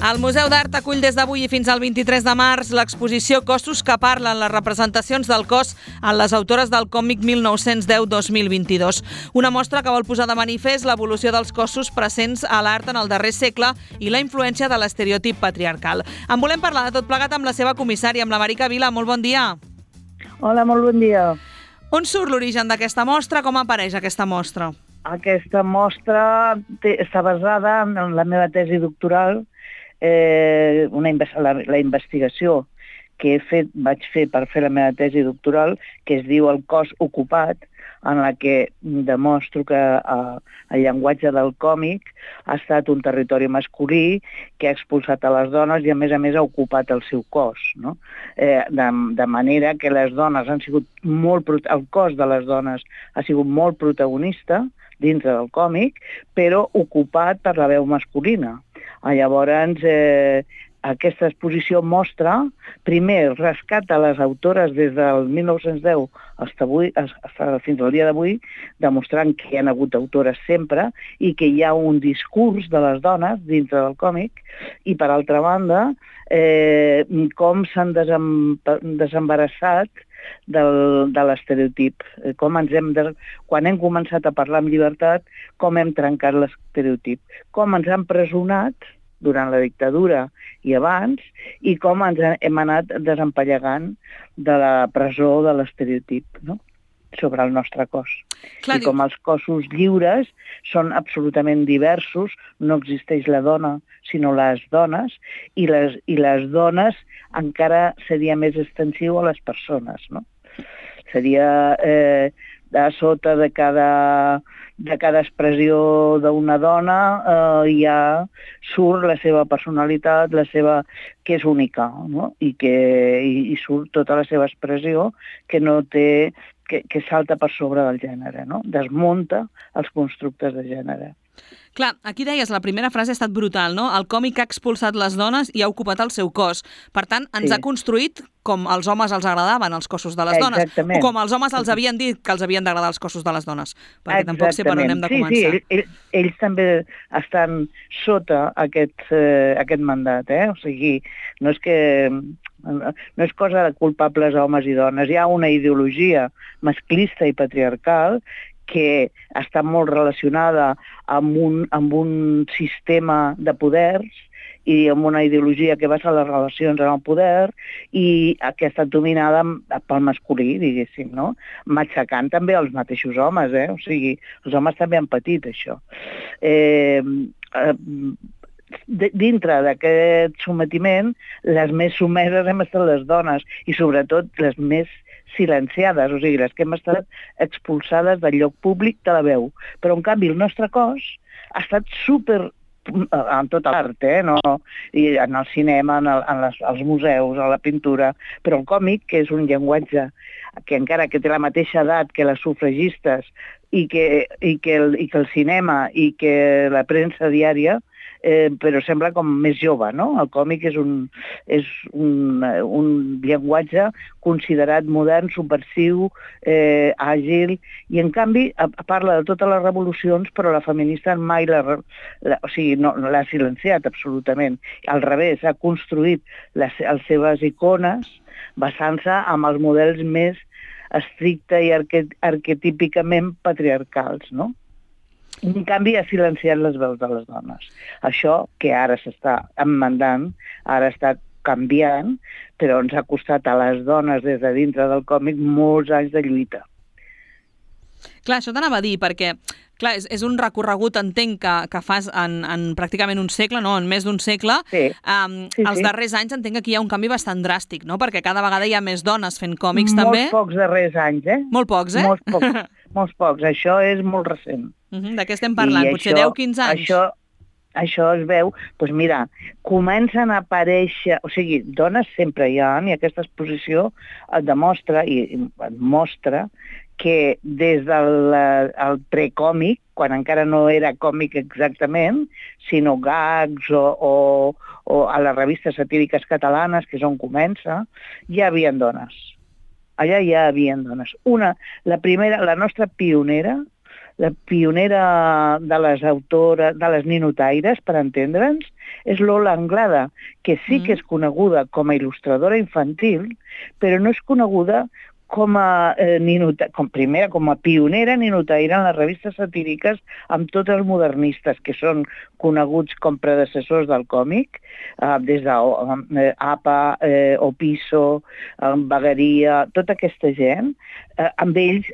El Museu d'Art acull des d'avui i fins al 23 de març l'exposició Cossos que parlen, les representacions del cos en les autores del còmic 1910-2022. Una mostra que vol posar de manifest l'evolució dels cossos presents a l'art en el darrer segle i la influència de l'estereotip patriarcal. En volem parlar de tot plegat amb la seva comissària, amb la Marica Vila. Molt bon dia. Hola, molt bon dia. On surt l'origen d'aquesta mostra? Com apareix aquesta mostra? Aquesta mostra està basada en la meva tesi doctoral, la investigació que vaig fer per fer la meva tesi doctoral, que es diu El cos ocupat, en la que demostro que el llenguatge del còmic ha estat un territori masculí que ha expulsat a les dones i a més ha ocupat el seu cos, no? De manera que les dones han sigut el cos de les dones ha sigut molt protagonista dintre del còmic, però ocupat per la veu masculina. Llavors, aquesta exposició mostra, primer, rescata les autores des del 1910 fins al dia d'avui, demostrant que hi ha hagut autores sempre i que hi ha un discurs de les dones dintre del còmic, i per altra banda, com s'han desembarassat de l'estereotip. Quan hem començat a parlar amb llibertat, com hem trencat l'estereotip, com ens han presonat durant la dictadura i abans, i com ens hem anat desempallegant de la presó de l'estereotip, no?, sobre el nostre cos. Clar, i com els cossos lliures són absolutament diversos, no existeix la dona, sinó les dones, i les dones encara seria més extensiu a les persones, no? Seria a sota de cada expressió d'una dona surt la seva personalitat, que és única, no? I surt tota la seva expressió que salta per sobre del gènere, no? Desmunta els constructes de gènere. Clar, aquí deies, la primera frase ha estat brutal, no? El còmic ha expulsat les dones i ha ocupat el seu cos. Per tant, ens ha construït com als homes els agradaven els cossos de les dones. Exactament. O com els homes els havien dit que els havien d'agradar els cossos de les dones. Perquè tampoc sé per on hem de començar. Sí, ells també estan sota aquest mandat, O sigui, no és cosa de culpables homes i dones. Hi ha una ideologia masclista i patriarcal que està molt relacionada amb un sistema de poders i amb una ideologia que basa les relacions en el poder i que ha estat dominada pel masculí, diguéssim, no? Matxacant també els mateixos homes, O sigui, els homes també han patit això. Dintre d'aquest sometiment, les més someses hem estat les dones i sobretot les més silenciades, o sigui, les que hem estat expulsades del lloc públic de la veu. Però, en canvi, el nostre cos ha estat en tota l'art, no? I en el cinema, als museus, a la pintura, però el còmic, que és un llenguatge que encara que té la mateixa edat que les sufragistes i que el cinema i que la premsa diària, però sembla com més jove, no? El còmic és un llenguatge considerat modern, subversiu, àgil, i en canvi parla de totes les revolucions, però la feminista mai no l'ha silenciat absolutament. Al revés, ha construït les seves icones basant-se en els models més estricte i arquetípicament patriarcals, no? En canvi, ha silenciat les veus de les dones. Això, que ara s'està emendant, ara està canviant, però ens ha costat a les dones des de dintre del còmic molts anys de lluita. Clar, això t'anava a dir, perquè clar, és un recorregut, entenc, que fas en pràcticament un segle, no? En més d'un segle. Sí. Els darrers anys entenc que aquí hi ha un canvi bastant dràstic, no? Perquè cada vegada hi ha més dones fent còmics, també. Molts pocs darrers anys, Molt pocs, Molts pocs. Això és molt recent. De què estem parlant? Potser 10-15 anys? Això es veu, doncs mira, comencen a aparèixer, o sigui, dones sempre hi ha, i aquesta exposició et demostra i et mostra que des del precòmic, quan encara no era còmic exactament, sinó gags o a les revistes satíriques catalanes, que és on comença, hi havia dones. Allà hi havia dones. La nostra pionera, la pionera de les autores, de les ninotaires, per entendre'ns, és Lola Anglada, que sí que és coneguda com a il·lustradora infantil, però no és coneguda com a pionera ninotaire en les revistes satíriques amb tots els modernistes, que són coneguts com predecessors del còmic, des d'APA, Opiso, Bagaria, tota aquesta gent, amb ells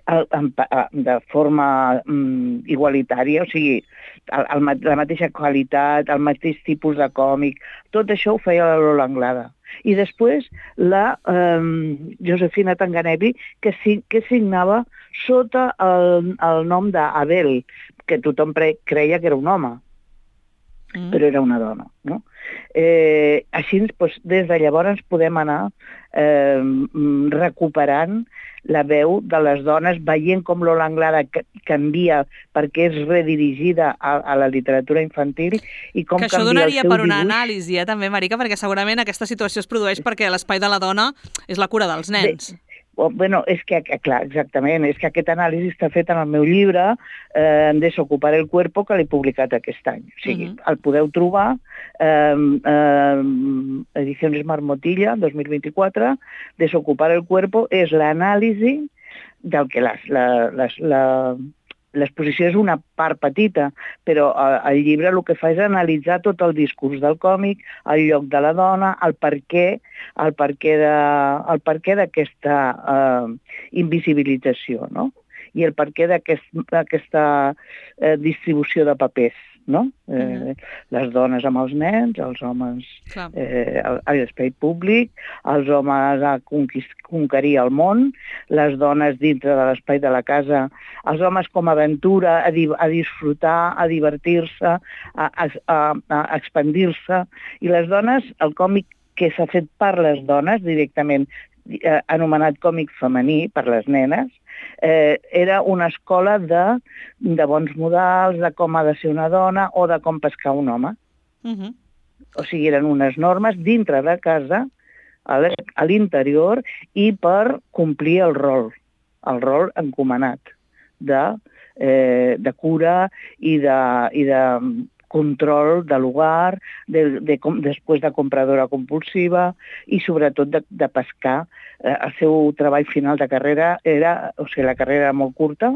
de forma igualitària, o sigui, la mateixa qualitat, el mateix tipus de còmic, tot això ho feia la Lola Anglada. I després la Josefina Tanganelli, que signava sota el nom d'Abel, que tothom creia que era un home, però era una dona. No? Així, des de llavors podem anar recuperant la veu de les dones, veient com Lola Anglada canvia perquè és redirigida a la literatura infantil i com canvia el seu dibuix. Que això donaria per una anàlisi, també, Marica, perquè segurament aquesta situació es produeix perquè l'espai de la dona és la cura dels nens. Bueno, és que, clar, exactament, és que aquest anàlisi està fet en el meu llibre Desocupar el cuerpo, que l'he publicat aquest any. O sigui, el podeu trobar, Ediciones Marmotilla, 2024, Desocupar el cuerpo és l'anàlisi del que l'exposició és una part petita, però el llibre el que fa és analitzar tot el discurs del còmic, el lloc de la dona, el perquè d'aquesta invisibilització, no? I el perquè d'aquesta distribució de papers, no? Les dones amb els nens, els homes a l'espai públic, els homes a conquerir el món, les dones dintre de l'espai de la casa, els homes com a aventura, a disfrutar, a divertir-se, a expandir-se, i les dones, el còmic que s'ha fet per les dones directament, anomenat còmic femení per les nenes, era una escola de bons modals, de com ha de ser una dona o de com pescar un home. O sigui, eren unes normes dintre de casa, a l'interior, i per complir el rol encomanat de cura i de control de l'hogar, després de compradora compulsiva i sobretot de pescar. El seu treball final de carrera la carrera era molt curta,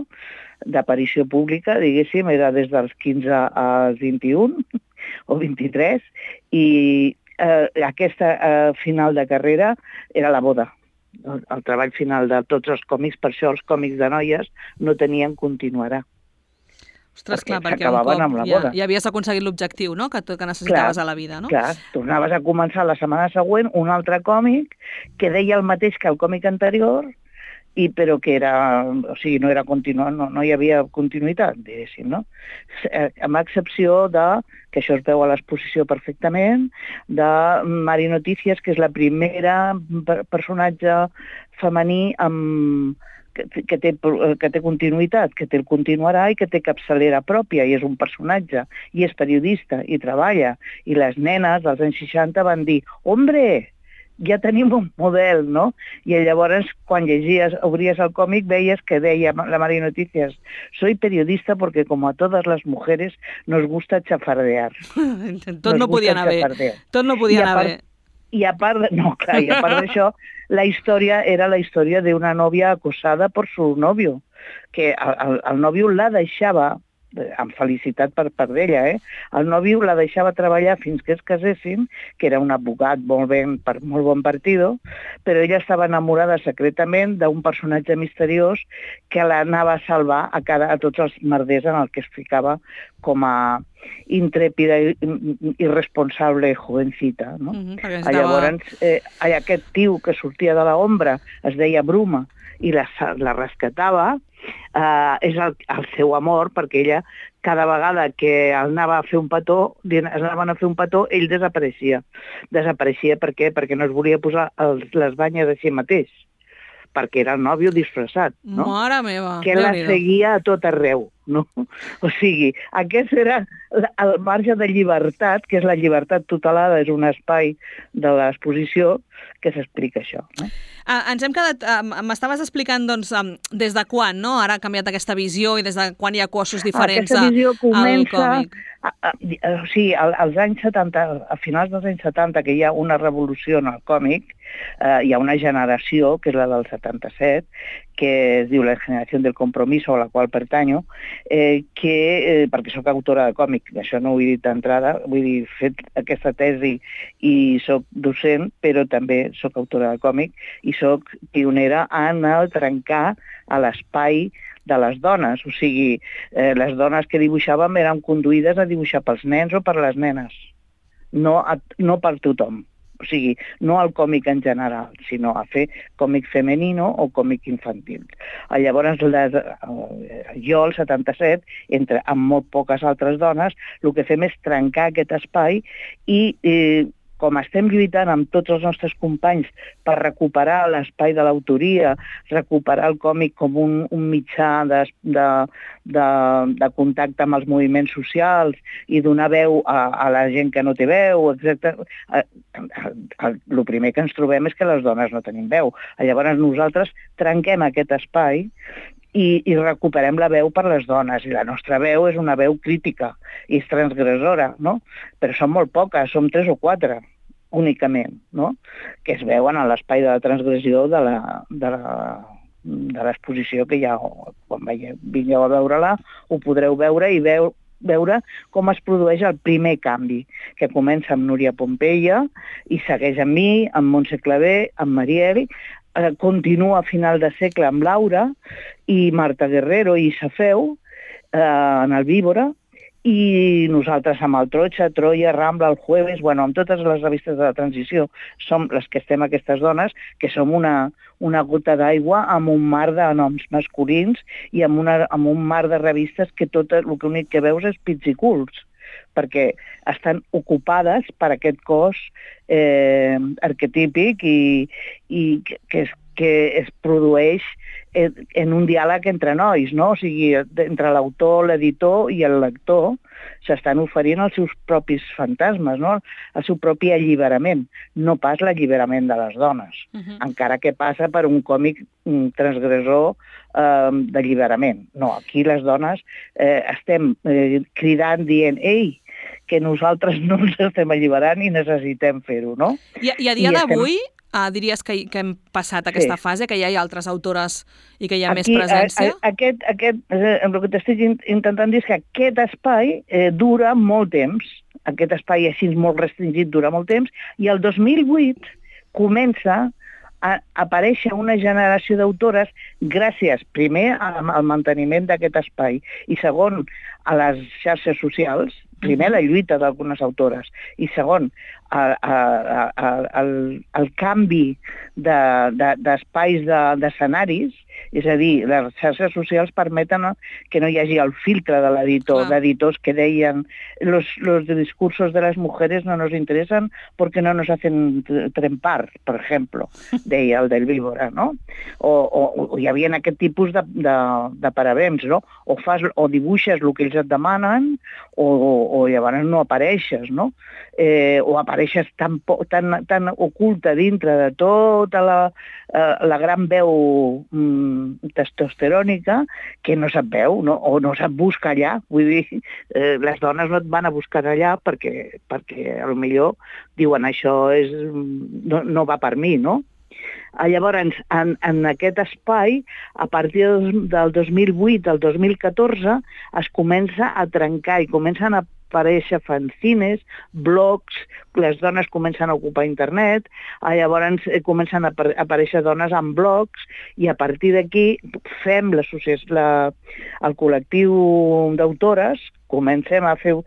d'aparició pública, diguéssim, era des dels 15 als 21 o 23, i aquesta final de carrera era la boda. El treball final de tots els còmics, per això els còmics de noies no tenien continuarà. Ostres, clar, perquè un cop ja havies aconseguit l'objectiu, no?, que necessitaves a la vida, no? Clar, tornaves a començar la setmana següent un altre còmic que deia el mateix que el còmic anterior, però que era, o sigui, no era continuat, no hi havia continuïtat, diguéssim, no? Amb excepció que això es veu a l'exposició perfectament, de Mari Noticias, que és la primera personatge femení que té continuïtat, que té el continuarà i que té capçalera pròpia, i és un personatge, i és periodista, i treballa. I les nenes dels anys 60 van dir, «Hombre, ja tenim un model», no? I llavors, quan obries el còmic, veies que deia la Mari Noticias, «Soy periodista porque como a todas las mujeres nos gusta chafardear». Tot no podia anar bé. Tot no podia anar bé. I a part d'això, la història era la història d'una nòvia acosada per su novio, que el nòvio la deixava, amb felicitat per part d'ella, el nòvio la deixava treballar fins que es casessin, que era un advocat molt bon partido, però ella estava enamorada secretament d'un personatge misteriós que l'anava a salvar a tots els merders en el que es ficava com a intrèpida i irresponsable jovencita, no? Llavors, aquest tio que sortia de l'ombra es deia Bruma i la rescatava, és el seu amor, perquè ella, cada vegada que anaven a fer un petó, ell desapareixia. Desapareixia per què? Perquè no es volia posar les banyes a si mateix, perquè era el nòvio disfressat, no? Mare meva! Que la seguia a tot arreu, no? O sigui, aquest era el marge de llibertat, que és la llibertat tutelada, és un espai de l'exposició que s'explica això, no? Ens hem quedat... M'estaves explicant, doncs, des de quan, no? Ara ha canviat aquesta visió i des de quan hi ha cossos diferents Aquesta visió al còmic. Sí, als anys 70, a finals dels anys 70, que hi ha una revolució en el còmic, hi ha una generació, que és la del 77, que es diu la generació del compromiso, a la qual pertanyo, perquè sóc autora de còmic, això no ho he dit d'entrada, vull dir, he fet aquesta tesi i sóc docent, però també sóc autora de còmic i sóc pionera en el trencar a l'espai de les dones. O sigui, les dones que dibuixàvem eren conduïdes a dibuixar pels nens o per les nenes, no per tothom. O sigui, no al còmic en general, sinó a fer còmic femenino o còmic infantil. Llavors, jo, el 77, amb molt poques altres dones, el que fem és trencar aquest espai i com estem lluitant amb tots els nostres companys per recuperar l'espai de l'autoria, recuperar el còmic com un mitjà de contacte amb els moviments socials i donar veu a la gent que no té veu, etc. El primer que ens trobem és que les dones no tenim veu. Llavors nosaltres trenquem aquest espai i recuperem la veu per les dones. I la nostra veu és una veu crítica i és transgressora, no? Però són molt poques, som 3 o 4 únicament, no? Que es veuen a l'espai de la transgressió de l'exposició que hi ha. Quan vingueu a veure-la ho podreu veure i veure com es produeix el primer canvi, que comença amb Núria Pompeia i segueix amb mi, amb Montse Clavé, amb Mariel, continua a final de segle amb Laura i Marta Guerrero i Safeu en el Víbora, i nosaltres amb el Trocha, Troia, Rambla, el Jueves, amb totes les revistes de la transició, som les que estem aquestes dones, que som una gota d'aigua amb un mar de noms masculins i amb un mar de revistes que tot l'únic que veus és pits i culs, perquè estan ocupades per aquest cos arquetípic i que es produeix en un diàleg entre nois, no? O sigui, entre l'autor, l'editor i el lector s'estan oferint els seus propis fantasmes, no? El seu propi alliberament, no pas l'alliberament de les dones, encara que passa per un còmic transgressor d'alliberament. No, aquí les dones estem cridant, dient, ei, que nosaltres no ens estem alliberant i necessitem fer-ho, no? I a dia d'avui diries que hem passat aquesta fase, que ja hi ha altres autores i que hi ha més presència? El que t'estic intentant dir és que aquest espai dura molt temps, aquest espai així molt restringit dura molt temps, i el 2008 comença a aparèixer una generació d'autores gràcies, primer, al manteniment d'aquest espai i segon, a les xarxes socials, primer la lluita d'algunes autores i segon el canvi d'espais d'escenaris, és a dir, les xarxes socials permeten que no hi hagi el filtre de l'editor, d'editors que deien los discursos de las mujeres no nos interesan porque no nos hacen trempar, per exemple, deia el del Víbora, no? O hi havia aquest tipus de parabems, no? O dibuixes el que ells et demanen o llavors no apareixes, no? O apareixes tan oculta dintre de tota la gran veu testosterònica que no se't veu, no? O no se't busca allà. Vull dir, les dones no et van a buscar allà perquè potser diuen això no va per mi, no? Llavors, en aquest espai, a partir del 2008 al 2014, es comença a trencar i comencen a aparèixer fanzines, blogs, les dones comencen a ocupar internet, llavors comencen a aparèixer dones en blogs i a partir d'aquí fem el col·lectiu d'autores, comencem a fer...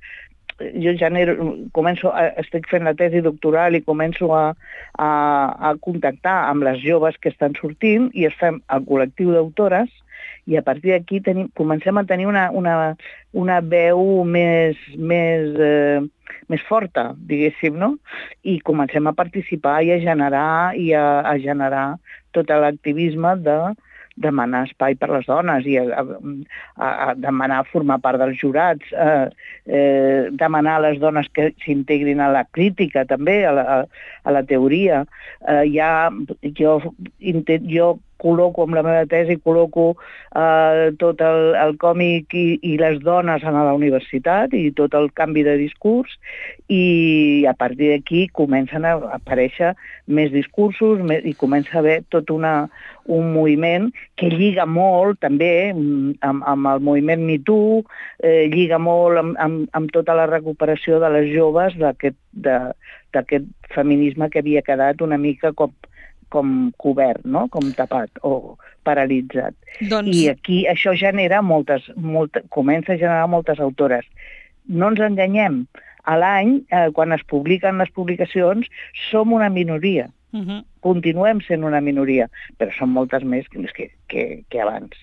Jo estic fent la tesi doctoral i començo a contactar amb les joves que estan sortint i es fem el col·lectiu d'autores i a partir d'aquí comencem a tenir una veu més forta, diguéssim, no? I comencem a participar i a generar tot l'activisme demanar espai per les dones i a demanar formar part dels jurats, demanar a les dones que s'integrin a la crítica també, a la teoria. Jo col·loco amb la meva tesi, col·loco tot el còmic i les dones a la universitat i tot el canvi de discurs, i a partir d'aquí comencen a aparèixer més discursos i comença a haver tot un moviment que lliga molt també amb el moviment Me Too, lliga molt amb tota la recuperació de les joves d'aquest feminisme que havia quedat una mica com cobert, no? Com tapat o paralitzat. I aquí això comença a generar moltes autores. No ens enganyem. A l'any, quan es publiquen les publicacions, som una minoria. Continuem sent una minoria, però són moltes més que abans.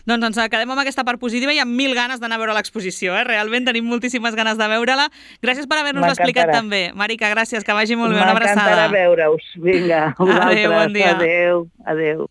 Doncs ens quedem amb aquesta part positiva i amb 1000 ganes d'anar a veure l'exposició. Realment tenim moltíssimes ganes de veure-la. Gràcies per haver-nos explicat també. Marica, gràcies, que vagi molt bé. Una abraçada. M'encantarà veure-us. Vinga, adéu, bon dia. Adéu.